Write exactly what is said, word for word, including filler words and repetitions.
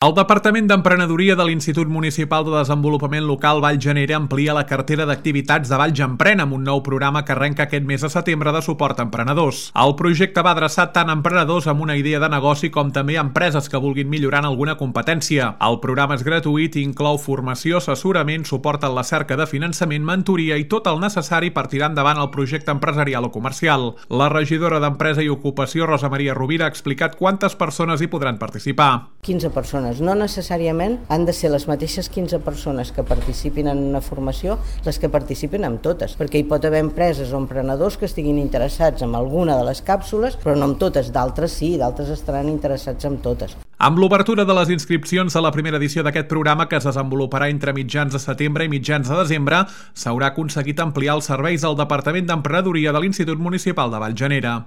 El Departament d'Emprenedoria de l'Institut Municipal de Desenvolupament Local Vallgenera amplia la cartera d'activitats de Valls Emprèn amb un nou programa que arrenca aquest mes de setembre de suport a emprenedors. El projecte va adreçat tant a emprenedors amb una idea de negoci com també a empreses que vulguin millorar en alguna competència. El programa és gratuït i inclou formació, assessorament, suport en la cerca de finançament, mentoria i tot el necessari per tirar endavant el projecte empresarial o comercial. La regidora d'Empresa i Ocupació, Rosa Maria Rovira, ha explicat quantes persones hi podran participar. quinze persones. No necessàriament han de ser les mateixes quinze persones que participin en una formació les que participin en totes, perquè hi pot haver empreses o emprenedors que estiguin interessats en alguna de les càpsules, però no en totes, d'altres sí, d'altres estaran interessats en totes. Amb l'obertura de les inscripcions a la primera edició d'aquest programa, que es desenvoluparà entre mitjans de setembre i mitjans de desembre, s'haurà aconseguit ampliar els serveis del Departament d'Emprenedoria de l'Institut Municipal de Vallgenera.